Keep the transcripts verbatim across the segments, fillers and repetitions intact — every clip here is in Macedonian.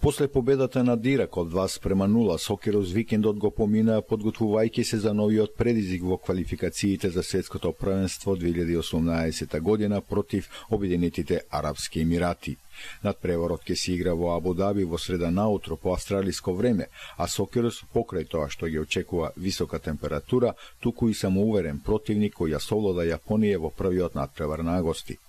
После победата над Ирак од два спрема нула, сокерот викендот го поминаа подготвувајќи се за новиот предизвик во квалификациите за светското првенство две илјади и осумнаесета година против Обединетите Арапски Емирати. Надпреварот ќе се игра во Абу Даби во среда наутро по австралиско време, а сокерот покрај тоа што ги очекува висока температура, туку и самоуверен противник кој ја совлада Јапонија во првиот надпревар на агости.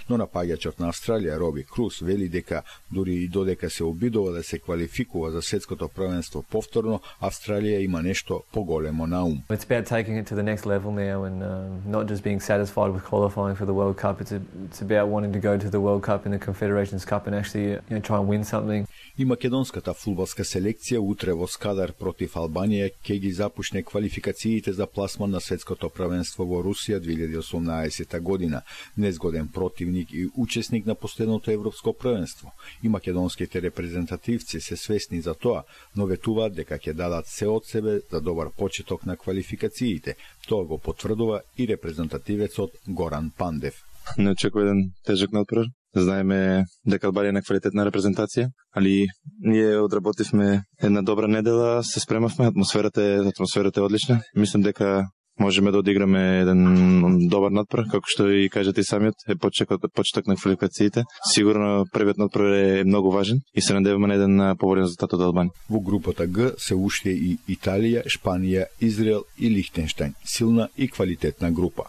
Но напаѓачот на Австралија Роби Круз вели дека дури и додека се обидува да се квалификува за светското првенство повторно, Австралија има нешто поголемо на ум. It's about taking it to the next level now and uh, not just being satisfied with qualifying for the World Cup. It's, a, it's about wanting to go to the World Cup and the Confederations Cup and actually you know, try and win something. И македонската фудбалска селекција утре во Скадар против Албанија ќе ги започне квалификациите за пласман на светското првенство во Русија две илјади и осумнаесета година. Незгоден противник и учесник на последното европско првенство. И македонските репрезентативци се свесни за тоа, но ветуваат дека ќе дадат се од себе за добар почеток на квалификациите. Тоа го потврдува и репрезентативецот Горан Пандев. Не очекува еден тежок надпревар. Знаеме дека Албанија е на квалитетна репрезентација, али ние одработивме една добра недела, се спремавме, атмосферата е, атмосферата е одлична. Мислам дека можеме да одиграме еден добар надпревар, како што и кажете и самиот, е почеток, почеток на квалификациите. Сигурно првиот надпревар е многу важен и се надеваме на еден поболен резултат од Албанија. Во групата Г се уште и Италија, Шпанија, Израел и Лихтенштајн. Силна и квалитетна група.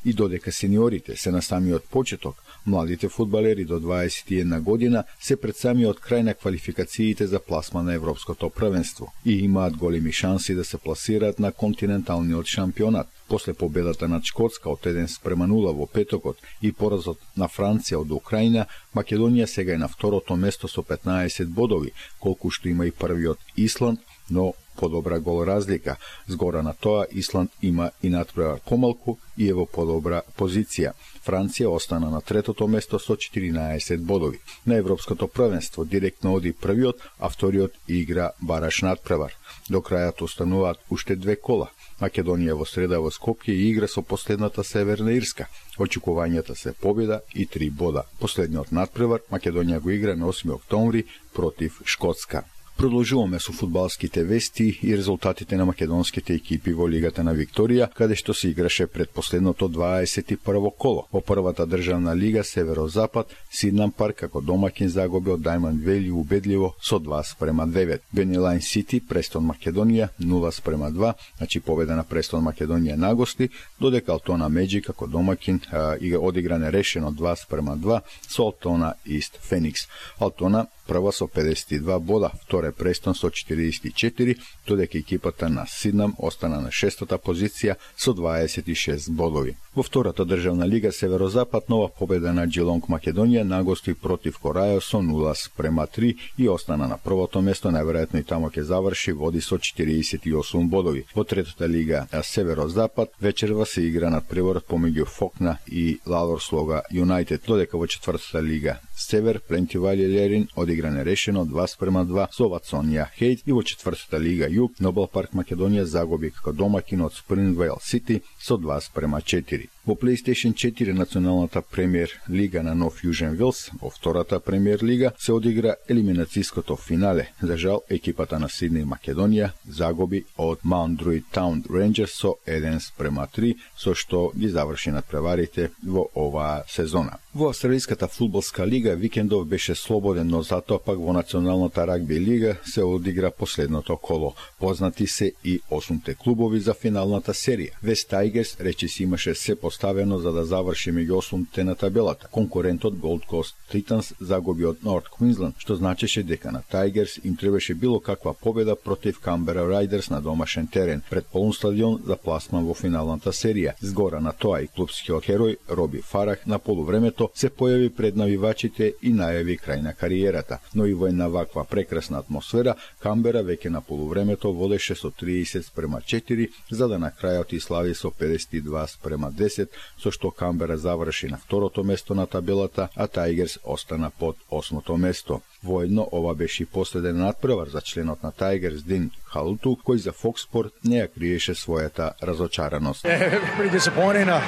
И додека сениорите се на самиот почеток, младите фудбалери до дваесет и една година се пред самиот крај на квалификациите за пласма на европското првенство и имаат големи шанси да се пласираат на континенталниот шампионат. После победата над Шкотска од еден спрема нула во петокот и поразот на Франција од Украина, Македонија сега е на второто место со петнаесет бодови, колку што има и првиот Исланд, но подобра гол разлика. Згора на тоа, Исланд има и надпревар помалку и е во подобра позиција. Франција остана на третото место со четиринаесет бодови. На европското првенство директно оди првиот, а вториот игра бараш надпревар. До крајот остануваат уште две кола. Македонија во среда во Скопје игра со последната Северна Ирска. Очекувањата се победа и три бода. Последниот надпревар Македонија го игра на осми октомври против Шкотска. Продолжуваме со фудбалските вести и резултатите на македонските екипи во Лигата на Викторија, каде што се играше пред последното дваесет и прво коло. Во првата државна лига Северозапад, Сиднам Парк како домаќин загуби од Даймонд Вели убедливо со два спрема девет. Бенилајн Сити, Престон Македонија нула спрема два, значи победа на Престон Македонија на гости, додека Алтона Меджи како домаќин а, одигра нерешено два спрема два со Алтона Ист Феникс. Алтона прва со педесет и два бода, втора Престон со четириесет и четири, додека екипата на Сиднам остана на шестота позиција со дваесет и шест бодови. Во втората државна лига Северозапад нова победа на Джилонг Македонија на гости против Корајо со нула спрема три и остана на првото место, најверојатно и тамо ќе заврши, води со четириесет и осум бодови. Во третата лига Северозапад вечерва се игра надпреварот помеѓу Фокна и Лалор Слога Юнајтед, додека во четвртата лига Север Плентивали Лерин одигра нерешено два спрема два со Ватсонија Хейт и во четвртата лига Југ Нобел Парк Македонија загуби како домаќин од Спрингвейл Сити со два спрема четири. Во PlayStation четири националната премиер лига на Нов Јужен Велс, во втората премиер лига се одигра елиминацијското финале. За жал, екипата на Сидни Македонија загуби од Маунт Друид Таун Рейнџерс со еден спрема три, со што ги заврши надпреварите во оваа сезона. Во австралиската фудбалска лига викендов беше слободен, но затоа пак во националната рагби лига се одигра последното коло. Познати се и осумте клубови за финалната серија. Вест Тайгерс речиси имаше се поставено за да заврши меѓу осумте на табелата. Конкурентот Gold Coast Titans загуби од Норт Квинсленд, што значеше дека на Тайгерс им требаше било каква победа против Камбера Райдерс на домашен терен пред полн стадион за пласман во финалната серија. Згора на тоа и клубскиот херој Роби Фарах на полувремето се појави пред навивачите и најави крај на кариерата. Но и во една ваква прекрасна атмосфера, Камбера веќе на полувремето водеше со триесет спрема четири, за да на крајот и слави со педесет и два спрема десет, со што Камбера заврши на второто место на табелата, а Тайгерс остана под осмото место. Воедно ова беше и последен надпревар за членот на Тайгерс Дин Халуту, кој за Fox Sport не ја криеше својата разочараност. Yeah, pretty disappointing. Uh,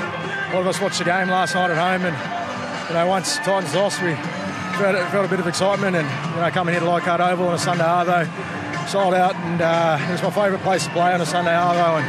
all of us watched the game last night at home and you know, once Titans lost, we felt, felt a bit of excitement, and you know, coming here to Leichhardt Oval on a Sunday arvo, sold out, and uh, it was my favourite place to play on a Sunday arvo, and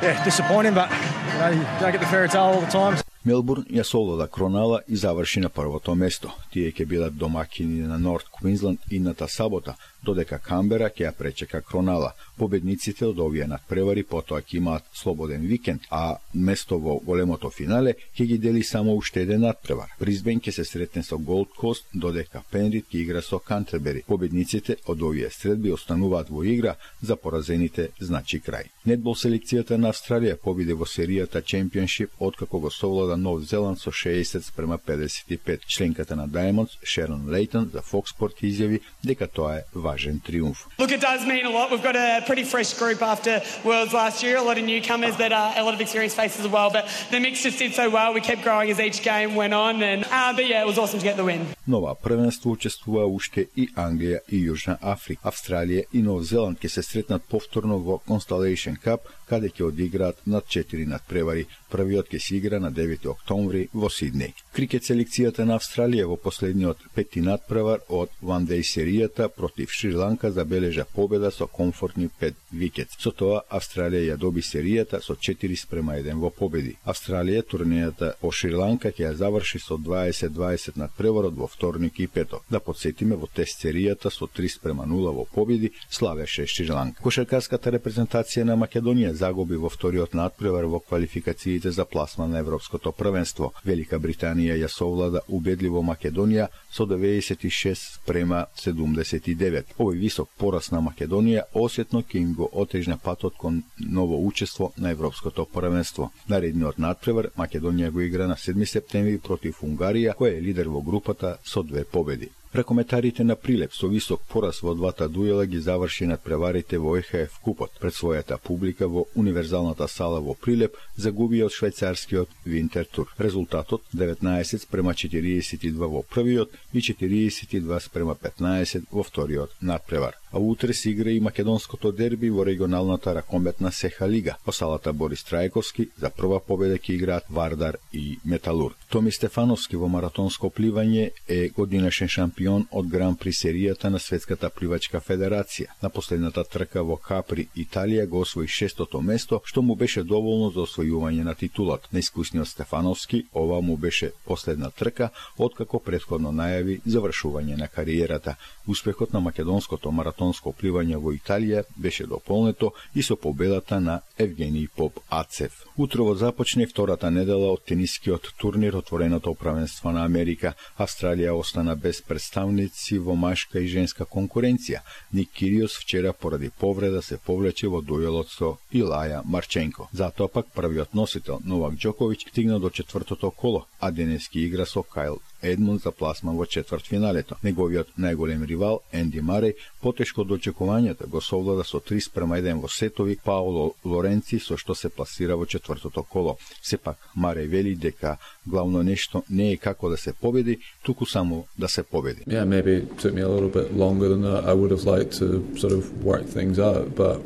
yeah, disappointing, but you know, you don't get the fairy tale all the time. Мелбурн ја солода Кронала и заврши на првото место. Тие ќе бидат домакини на Норт Квинсленд идната сабота, додека Камбера ќе ја пречека Кронала. Победниците од овие надпревари потоа ќе имаат слободен викенд, а место во големото финале ќе ги дели само уште еден надпревар. Брисбен ќе се сретне со Голд Кост, додека Пенрид ќе игра со Кантербери. Победниците од овие средби остануваат во игра, за поразените значи крај. Нетбол селекцијата на Австралија победи во серијата Championship откако го совлада Нов Зеланд со шеесет спрема педесет и пет. Членката на Diamonds, Шерон Лейтон, за Fox Sport изјави дека тоа е важен триумф. Look, it does mean a lot. We've got a pretty fresh group after Worlds last year, a lot of newcomers that are a lot of experienced faces as well, but the mix just did so well. We kept growing as each game went on, and uh, but yeah, it was awesome to get the win. Нова првенство учествува уште и Англија и Јужна Африка. Австралија и Нов Зеланд ќе се сретнат повторно во Constellation Cup, каде ќе одиграат над четири надпревари. Првиот ќе се игра на девети октомври во Сиднеј. Крикет селекцијата на Австралија во последниот пети надпревар од One Day серијата против Шри-Ланка забележа победа со комфортни пет викет. Со тоа Австралија ја доби серијата со четири спрема еден во победи. Австралија турнијата по Шри-Ланка ќе ја заврши со дваесет дваесет надпреварот во вторник и петок. Да подсетиме, во тест серијата со три спрема нула во победи славеше Шри-Ланка. Кошаркарската репрезентација на Македонија загуби во вториот надпревар во квалификациите за пласман на Европското првенство. Велика Британија ја совлада убедливо Македонија со деветдесет и шест спрема седумдесет и девет. Овој висок пораз на Македонија осетно ќе им го отежна патот кон ново учество на Европското првенство. Наредниот надпревар Македонија го игра на седми септември против Унгарија, која е лидер во групата со две победи. Рекометарите на Прилеп со висок пораз во двата дуела ги заврши надпреварите во Е Ха Еф купот. Пред својата публика во универзалната сала во Прилеп загуби од швајцарскиот Винтер Тур. Резултатот деветнаесет спрема четириесет и два во првиот и четириесет и два спрема петнаесет во вториот надпревар. А утре се игра и македонското дерби во регионалната ракометна Сеха Лига. По салата Борис Трајковски за прва победа ќе играат Вардар и Металург. Томи Стефановски во маратонско пливање е годинашен шампион од Гран При серијата на Светската пливачка федерација. На последната трка во Капри, Италија го освои шестото место, што му беше доволно за освојување на титулат. На искусниот Стефановски ова му беше последна трка, откако претходно најави завршување на кариерата. Успехот на македонското маратонско пливање во Италија беше дополнето и со победата на Евгений Поп Ацев. Утрово започне втората недела од тенискиот турнир отвореното првенство на Америка. Австралија остана без представници во машка и женска конкуренција. Ник Кириос вчера поради повреда се повлече во дуелот со Илаја Марченко. Затоа пак првиот носител Новак Џоковиќ стигна до четвртото коло, а денески игра со Кайл Едмунд за пласман во четвртфиналето. Неговиот најголем ривал Енди Мареј потешко од очекувањата го совлада со три спрема еден во сетови Паоло Лоренци, со што се пласира во четвртото коло. Сепак Мареј вели дека главно нешто не е како да се победи, туку само да се победи. Yeah, maybe it took me a little bit longer than I would have liked to sort of work things out, but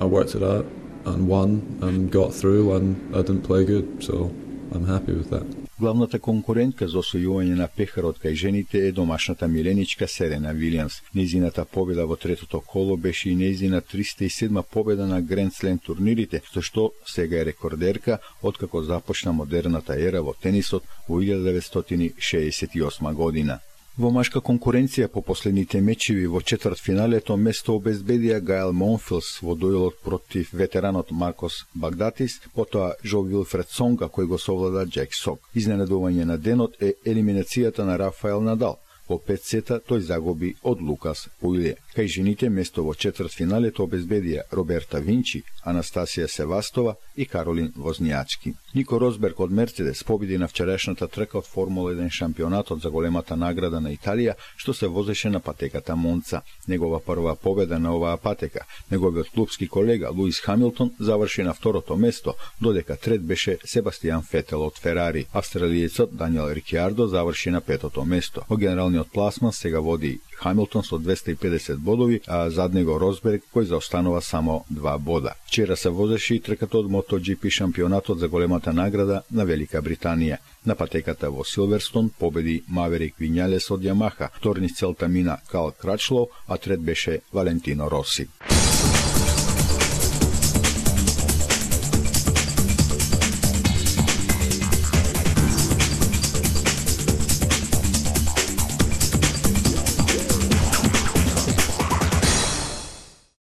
I worked it out and won and got through, and I didn't play good, so I'm happy with that. Главната конкурентка за освојување на пехарот кај жените е домашната миленичка Серена Вилијамс. Нејзината победа во третото коло беше и нејзина триста и седма победа на Гранд Слем турнирите, со што сега е рекордерка откако започна модерната ера во тенисот во илјада деветстотини шеесет и осма година. Во машка конкуренција по последните мечеви во четвртфиналето место обезбедија Гајл Монфилс во дуелот против ветеранот Маркос Багдатис, потоа Жо Вилфред Сонга кој го совлада Джек Сок. Изненадување на денот е елиминацијата на Рафаел Надал. Во пет сета тој загуби од Лукас Пуиле. Кај жените место во четвртфиналето обезбедија Роберта Винчи, Анастасија Севастова и Каролин Вознијачки. Нико Росберг од Мерцедес победи на вчерашната трка од Формула еден шампионатот за големата награда на Италија, што се возеше на патеката Монца. Негова прва победа на оваа патека. Неговиот клубски колега Луис Хамилтон заврши на второто место, додека трет беше Себастијан Фетел од Ферари. Австралиецот Даниел Рикјардо заврши на петото место. Во генералниот финалниот пласман сега води Хамилтон со двеста и педесет бодови, а зад него Росберг кој заостанува само два бода. Вчера се возеше и трката од MotoGP шампионатот за големата награда на Велика Британија. На патеката во Силверстон победи Маверик Вињалес од Јамаха, втор низ целта мина Кал Крачлоу, а трет беше Валентино Роси.